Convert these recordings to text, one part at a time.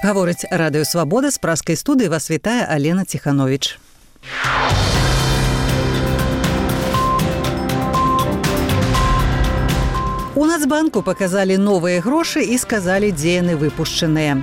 Гаворыць радыё «Свабода», з праскай студыі вас вітае Алена Ціхановіч. У Нацбанку паказалі новыя грошы і сказалі, дзе яны выпушчаныя.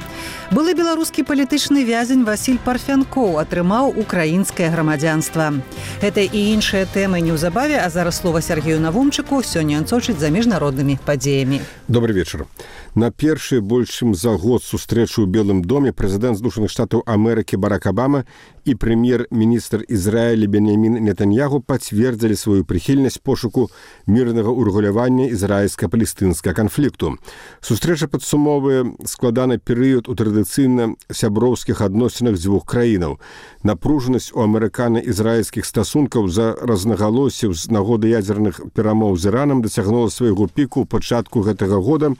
Былы беларускі палітычны вязень Васіль Парфянкоў атрымаў украінскае грамадзянства. Гэта і іншыя тэмы неўзабаве, а зараз слова Сергею Навумчыку. Сёння ён сочыць за міжнароднымі падзеямі. Добрый вечар. На першы больш чым за год сустрэчу ў Белым доме прэзідэнт Злучаных Штатаў Амерыкі Барак Абама і прэм'ер-міністр Ізраіля Беньямін Нетаньягу пацвердзілі сваю прыхільнасць пошуку мірнага ўрэгулявання ізраільска-палестынскага канфлікту. Сустрэча падсумоўвае складаны перыяд у традыцыйна сяброўскіх адносінах дзвюх краінаў. Напружанасць у амерыкана-ізраільскіх стасункаў за рознагалоссяў з нагоды ядзерных перамоў з Іранам дасягнула свайго піку ў пачатку гэтага года,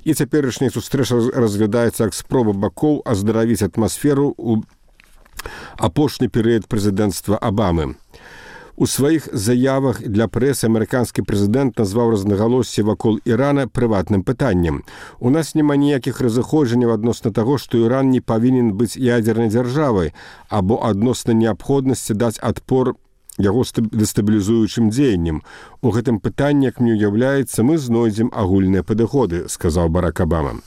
і цяперашняя сустрэча разглядаецца як спроба бакоў аздаравіць атмасферу ў апошні перыяд прэзідэнцтва Абамы. У сваіх заявах для прэсы амерыканскі прэзідэнт назваў рознагалоссі вакол Ірана прыватным пытаннем. У нас няма ніякіх разыходжанняў адносна таго, што Іран не павінен быць ядзернай дзяржавай або адносна неабходнасці даць адпор яго дэстабілізуючым дзеяннем. У гэтым пытанні, як мне ўяўляецца, мы знойдзем агульныя падыходы, сказаў Барак Абама.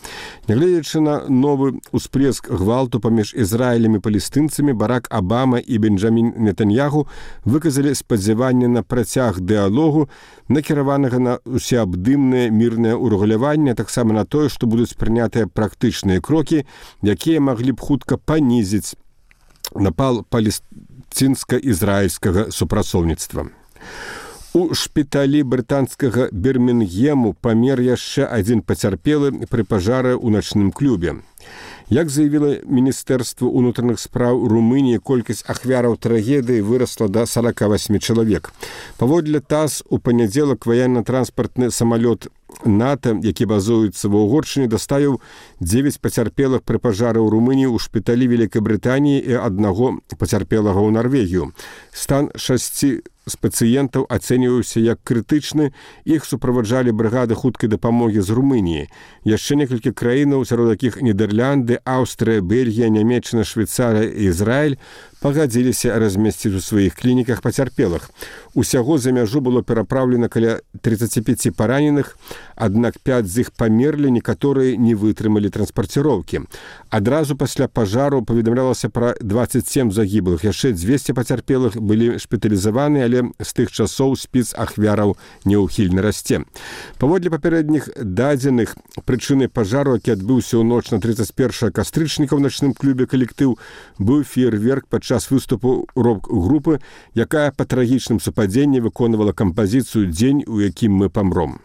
Нягледзячы на новы ўсплеск гвалту паміж Ізраілем і палестынцамі, Барак Абама і Бенджамін Нетаньягу выказалі спадзяванне на працяг дыялогу, накіраванага на усеабдымнае мірнае ўрэгуляванне, таксама на тое, што будуць прынятыя практычныя крокі, якія маглі б хутка панізіць напал палестынска-ізраільскага супрацоўніцтва. У шпіталі брытанскага Бірмінгему памер яшчэ адзін пацярпелы пры пажары ў начным клубе. Як заявіла Міністэрства ўнутраных спраў Румыніі, колькасць ахвяраў трагедыі вырасла да 48 чалавек. Паводле ТАСС, у панядзелак ваенна-транспартны самалёт НАТО, які базуецца ва Угоршчыне, даставіў 9 пацярпелых пры пажары ў Румыніі, у шпіталі Вялікай Брытаніі і аднаго пацярпелага ў Нарвегію. Стан 6 з пацыентаў ацэньваўся як крытычны, іх суправаджалі брыгады хуткай дапамогі з Румыніі. Яшчэ некалькі краінаў, сярод якіх Нідерланды, Аўстрыя, Бельгія, Нямецчына, Швейцарыя і Ізраіль, пагадзіліся размесціць у сваіх клініках пацярпелых. Усяго за мяжу было перапраўлена каля 35 параненых, аднак 5 з іх памерлі, некаторыя не вытрымалі транспарціроўкі. Адразу пасля пажару паведамлялася пра 27 загіблых, яшчэ 200 пацярпелых былі шпіталізаваны, але з тых часоў спіс ахвяраў няўхільна расце. Паводле папярэдніх дадзеных, прычынай пажару, які адбыўся ў ноч на 31 кастрычніка ў начным клубе «Калектыў», быў феерверк падчас выступу рок-групы, якая па трагічным супадзенні выконвала кампазіцыю «Дзень, у якім мы памром».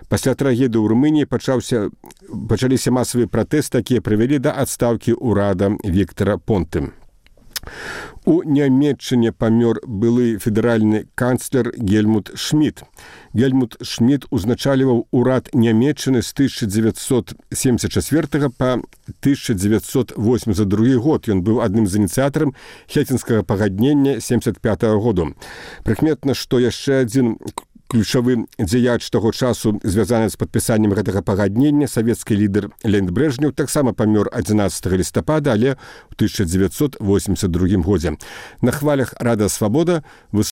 Пасля трагедыі ў Румыніі пачаліся масавыя пратэсты, якія прывялі да адстаўкі ўрада Віктара Понты. У Нямецчыне памёр былы федэральны канцлер Гельмут Шмідт. Гельмут Шмідт узначальваў урад Нямецчыны з 1974 па 1982 год. Ён быў адным з ініцыятарам Хельсінскага пагаднення 1975 году. Прыкметна, што яшчэ адзін ключавы дзеяч таго часу, звязаны з падпісаннем гэтага пагаднення, савецкі лідар Леонід Брэжнеў, таксама памёр 11 лістапада, але ў 1982 годзе. На хвалях Радыё Свабода